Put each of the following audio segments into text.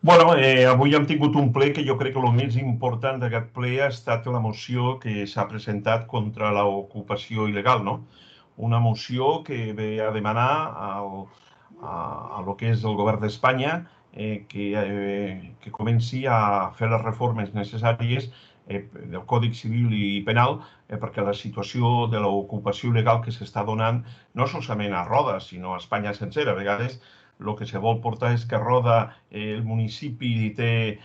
Avui hem tingut un ple que jo crec que el més important d'aquest ple ha estat la moció que s'ha presentat contra l'ocupació il·legal, no? Una moció que ve a demanar a lo que és el govern d'Espanya que comenci a fer les reformes necessàries del Codi Civil i Penal perquè la situació de l'ocupació il·legal que s'està donant no solament a Roda, sinó a Espanya sencera. A vegades el que se vol portar és que Roda el municipi té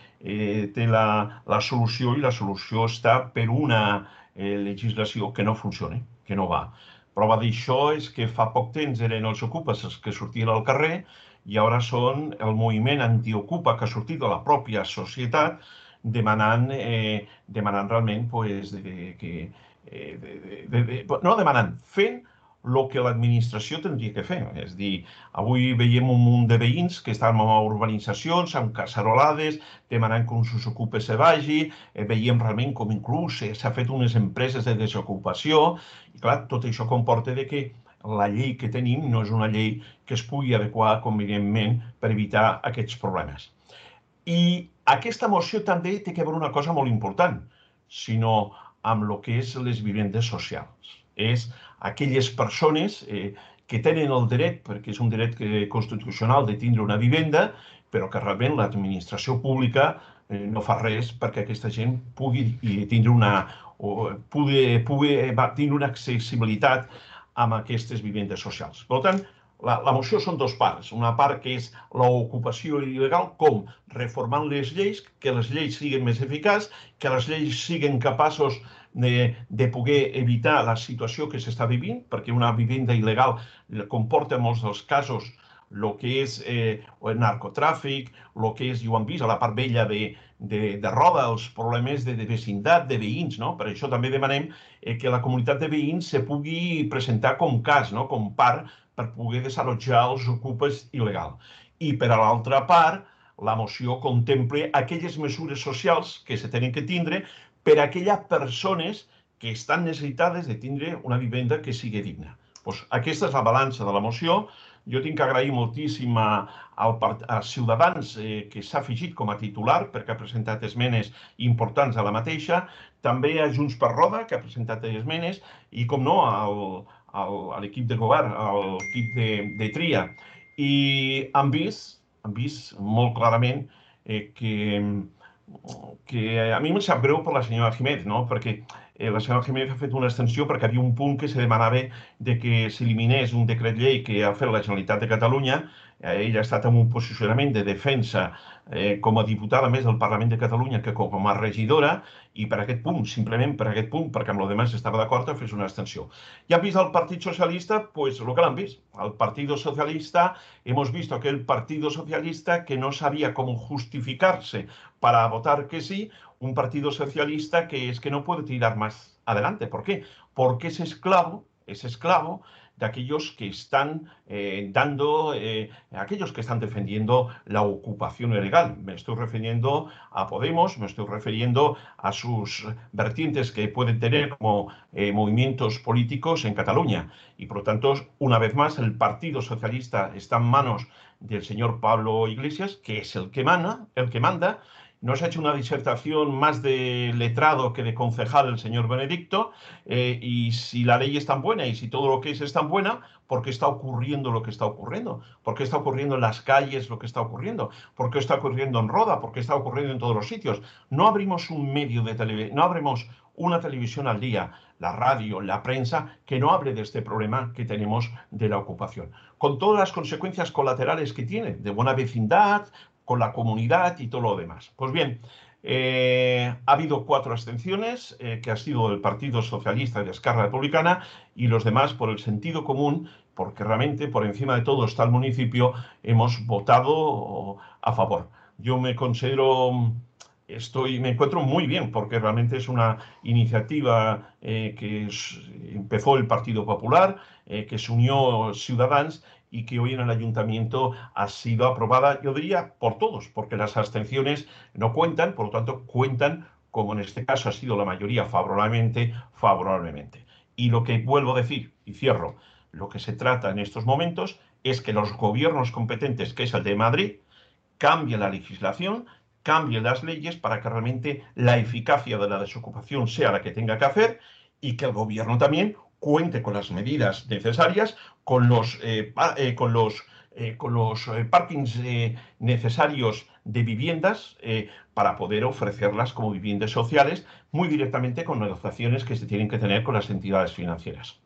la solució i la solució està per una legislació que no funciona, que no va. Prova d'això és que fa poc temps eren els ocupes els que sortien al carrer i ara són el moviment antiocupa que ha sortit de la pròpia societat demanant realment pues, no demanant, fent el que l'administració tindria que fer. És a dir, avui veiem un munt de veïns que estan en urbanitzacions, amb cacerolades, demanant que un s'ocupa se vagi, veiem realment com inclús s'ha fet unes empreses de desocupació, i clar, tot això comporta que la llei que tenim no és una llei que es pugui adequar convenientment per evitar aquests problemes. I aquesta moció també té a veure una cosa molt important, sinó amb el que és les vivendes socials. És aquelles persones que tenen el dret, perquè és un dret constitucional de tindre una vivenda, però que realment l'administració pública no fa res perquè aquesta gent pugui tindre una accessibilitat amb aquestes vivendes socials. Per tant, la moció són dos parts. Una part que és l'ocupació il·legal, com reformant les lleis, que les lleis siguin més eficaces, que les lleis siguin capaços de poder evitar la situació que s'està vivint, perquè una vivenda il·legal comporta en molts dels casos el que és el narcotràfic, el que és, ja ho hem vist, a la part vella de Roda, els problemes de vecindat, de veïns, no? Per això també demanem que la comunitat de veïns se pugui presentar com cas, no? Com part, per poder desallotjar els ocupes il·legals. I per a l'altra part, la moció contempla aquelles mesures socials que se tenen que tindre per a aquelles persones que estan necessitades de tindre una vivenda que sigui digna. Pues aquesta és la balança de la moció. Jo tinc que agrair moltíssim a Ciutadans que s'ha afegit com a titular perquè ha presentat esmenes importants a la mateixa, també a Junts per Roda, que ha presentat esmenes, i, com no, a l'equip de govern, a l'equip de tria. I han vist molt clarament que a mi em sap greu per la senyora Jiménez, no? Perquè la senyora Jiménez ha fet una extensió perquè havia un punt que se demanava de que s'eliminés un decret llei que ha fet la Generalitat de Catalunya. Ella ha estat en un posicionament de defensa com a diputada més del Parlament de Catalunya que com a regidora, i per aquest punt, simplement per aquest punt, perquè amb el demás estava d'acord, ha fet una extensió. Ja hem vist el Partit Socialista, pues el que l'han vist. El Partit Socialista, hemos visto aquel Partido Socialista que no sabía cómo justificarse para votar que sí, un Partido Socialista que es que no puede tirar más adelante. ¿Por qué? Porque es esclavo de aquellos que están aquellos que están defendiendo la ocupación ilegal. Me estoy refiriendo a Podemos, me estoy refiriendo a sus vertientes que pueden tener como movimientos políticos en Cataluña. Y por lo tanto, una vez más, el Partido Socialista está en manos del señor Pablo Iglesias, que es el que manda. Nos ha hecho una disertación más de letrado que de concejal el señor Benedicto, y si la ley es tan buena y si todo lo que es tan buena, ¿por qué está ocurriendo lo que está ocurriendo? ¿Por qué está ocurriendo en las calles lo que está ocurriendo? ¿Por qué está ocurriendo en Roda? ¿Por qué está ocurriendo en todos los sitios? No abrimos un medio de televisión, no abrimos una televisión al día, la radio, la prensa, que no hable de este problema que tenemos de la ocupación, con todas las consecuencias colaterales que tiene, de buena vecindad, con la comunidad y todo lo demás. Pues bien, ha habido 4 abstenciones, que ha sido del Partido Socialista y de Esquerra Republicana, y los demás por el sentido común, porque realmente por encima de todo está el municipio, hemos votado a favor. Yo me encuentro muy bien, porque realmente es una iniciativa que empezó el Partido Popular, que se unió Ciudadanos, y que hoy en el ayuntamiento ha sido aprobada, yo diría, por todos, porque las abstenciones no cuentan, por lo tanto cuentan, como en este caso ha sido la mayoría favorablemente. Y lo que vuelvo a decir, y cierro, lo que se trata en estos momentos es que los gobiernos competentes, que es el de Madrid, cambie la legislación, cambie las leyes para que realmente la eficacia de la desocupación sea la que tenga que hacer y que el gobierno también cuente con las medidas necesarias, con los parkings necesarios de viviendas para poder ofrecerlas como viviendas sociales muy directamente con negociaciones que se tienen que tener con las entidades financieras.